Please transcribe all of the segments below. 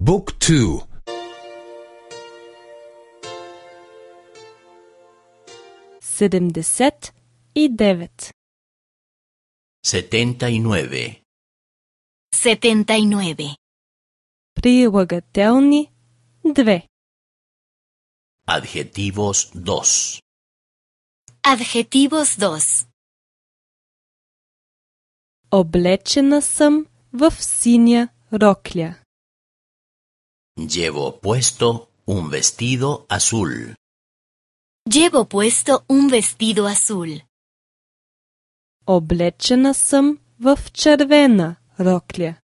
Book 2. 79. 79. 79. Прилагателни 2. Adjetivos 2. Adjetivos 2. Облечена съм в синя рокля. Llevo puesto un vestido azul. Llevo puesto un vestido azul. Облечена съм в червена рокля.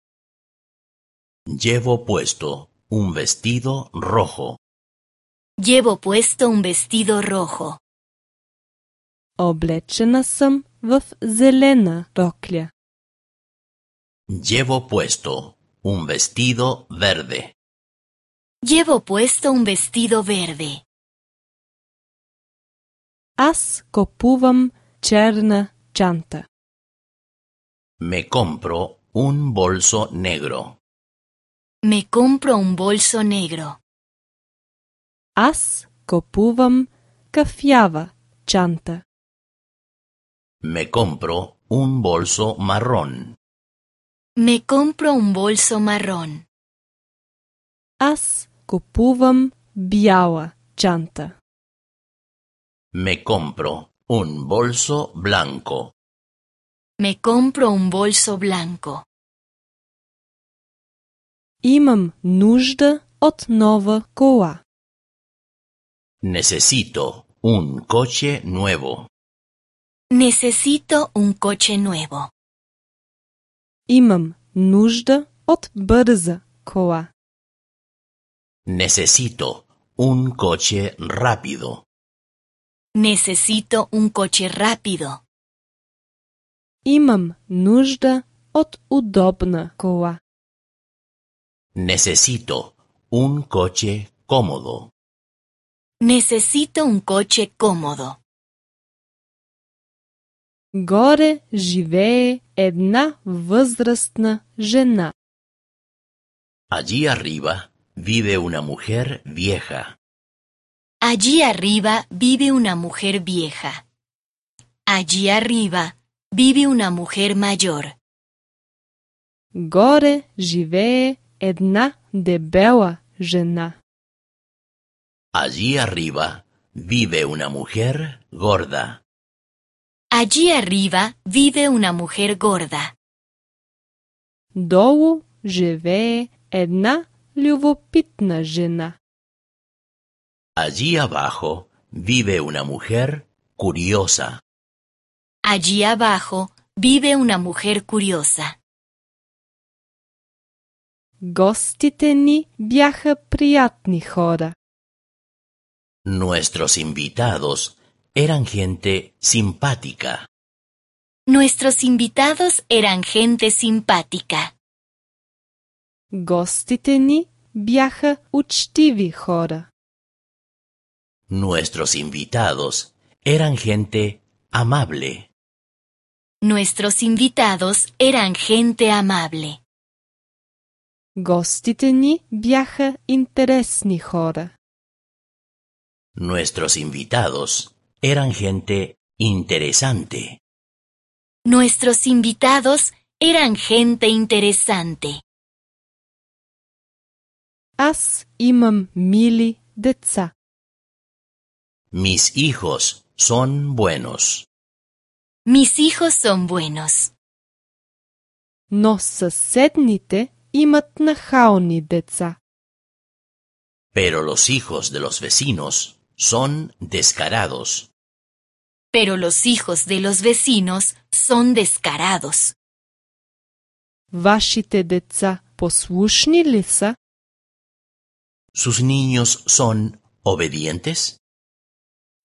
Llevo puesto un vestido rojo. Llevo puesto un vestido rojo. Облечена съм в зелена рокля. Llevo puesto un vestido verde. Llevo puesto un vestido verde. Аз купувам черна чанта. Me compro un bolso negro. Me compro un bolso negro. Аз купувам кафява чанта. Me compro un bolso marrón. Me compro un bolso marrón. Аз купувам бяла чанта. Me compro un bolso blanco. Me compro un bolso blanco. Имам нужда от нова кола. Necesito un coche nuevo. Necesito un coche nuevo. Имам нужда от бърза кола. Necesito un coche rápido. Necesito un coche rápido. Имам нужда от удобна кола. Necesito un coche cómodo. Necesito un coche cómodo. Горе живее една възрастна жена. Allí arriba vive una mujer vieja. Allí arriba vive una mujer vieja. Allí arriba vive una mujer mayor. Горе живее една дебела жена. Allí arriba vive una mujer gorda. Allí arriba vive una mujer gorda. Долу живее една любопитна жена. Allí abajo vive una mujer curiosa. Allí abajo vive una mujer curiosa. Гостите ни бяха приятни хора. Nuestros invitados eran gente simpática. Nuestros invitados eran gente simpática. Гостите ни бяха учтиви хора. Nuestros invitados eran gente amable. Nuestros invitados eran gente amable. Гостите ни бяха интересни хора. Nuestros invitados eran gente interesante. Nuestros invitados eran gente interesante. Аз имам мили деца. Mis hijos son buenos. Mis hijos son buenos. Но съседните имат нахални деца. Pero los hijos de los vecinos son descarados. Pero los hijos de los vecinos son descarados. Вашите деца послушни ли са? ¿Sus niños son obedientes?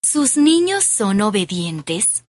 ¿Sus niños son obedientes?